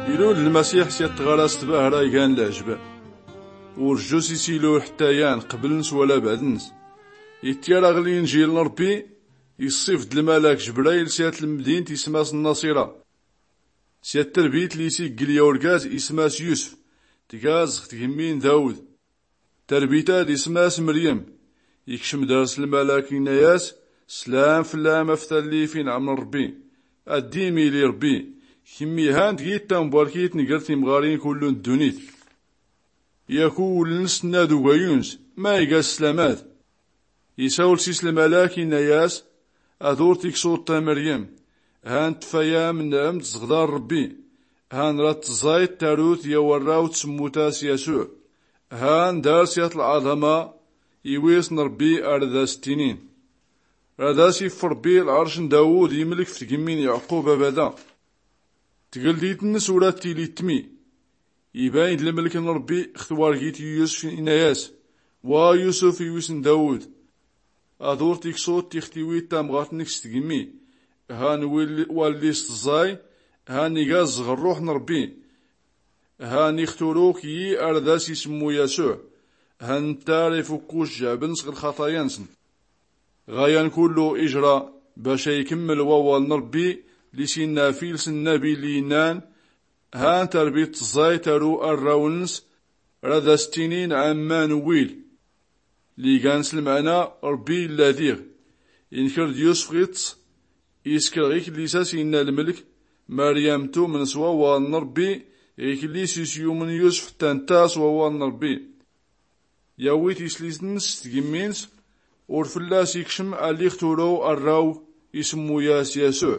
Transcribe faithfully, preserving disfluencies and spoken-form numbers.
Ilul lmasiḥ s-yattɣaras tbahra igan lɛjb. Ur jjus isilu ḥtta yan qbl-ns wala bɛd-ns. Ittyar aɣ linjil n-rbbi. Iṣṣif-d lmalak jbrail s-yat lmdint ism-as n-naṣira, s-yat trbit li-s-iggl ya urgaz ism-as yusf, tgaz ɣ-tgmmi n-dawd. Tarbit-ad ism-as mryem. Ikcm dar-s lmalak inna-yas, slam fllam a-f-talli f-inɛm n-rbbi. Ad-dim-ili rbbi. Kmmi han tgit tambarkit ngr timɣarin kullu n-ddunit. Yak uwwln-s tnnad ugayun-s, ma iga sslam-ad? Isawl s-is lmalak inna-yas, ad-ur-tiksuḍt a-mryem. Han tfayam n-amd zɣdan rbbi. Han rad-tẓẓayt tarut ya warraw tsmmut-as yasuɛ. Han dar-s yat lɛaḍama. Iwis n-rbbi ar-ad-as-ttinin, rad-as-iff rbbi lɛarc n-dawud imlk f-tgmmi n-yaɛqub abada. Tgldit-nns ur-ad-tili ttmi. Ibayn-d lmlk n-rbbi ɣ-twargit n-yusf inna-yas, wa yusf iwis n-dawud, ad-ur-tiksuḍt tixtiwit tamɣart-nk s-tgmmi. Han walli-s tẓẓay. Han iga zzɣ rruḥ n-rbbi. Han ixturuk yi ar-ad-as-ismmu yasuɛ. Han nttar ifukku jjɛb-nns ɣ-lxaṭaya-nnsn. Ɣayan kullu ijra bac a-ikmml wawal n-rbbi li-s-inna f-ils n-nabi li-innan, han tarbit tẓẓay taru arraw-nns, rad-as-ttinin ɛamman uwil. Li-gan s-lmɛna, rbbi illa diɣ. Inkr-d yusf ɣ-iṭṭs. Iskr ɣ-ikllis a-s-inna lmlk, maryam tumn s-wawal n-rbbi. Ɣ-ikllis-is yumn yusf ḥtta ntta s-wawal n-rbbi. Yawi tislit-nns s-tgmmi-nns. Ur flla-s ikcm alli ɣ-turuw arraw, ismmu-yas yasuɛ.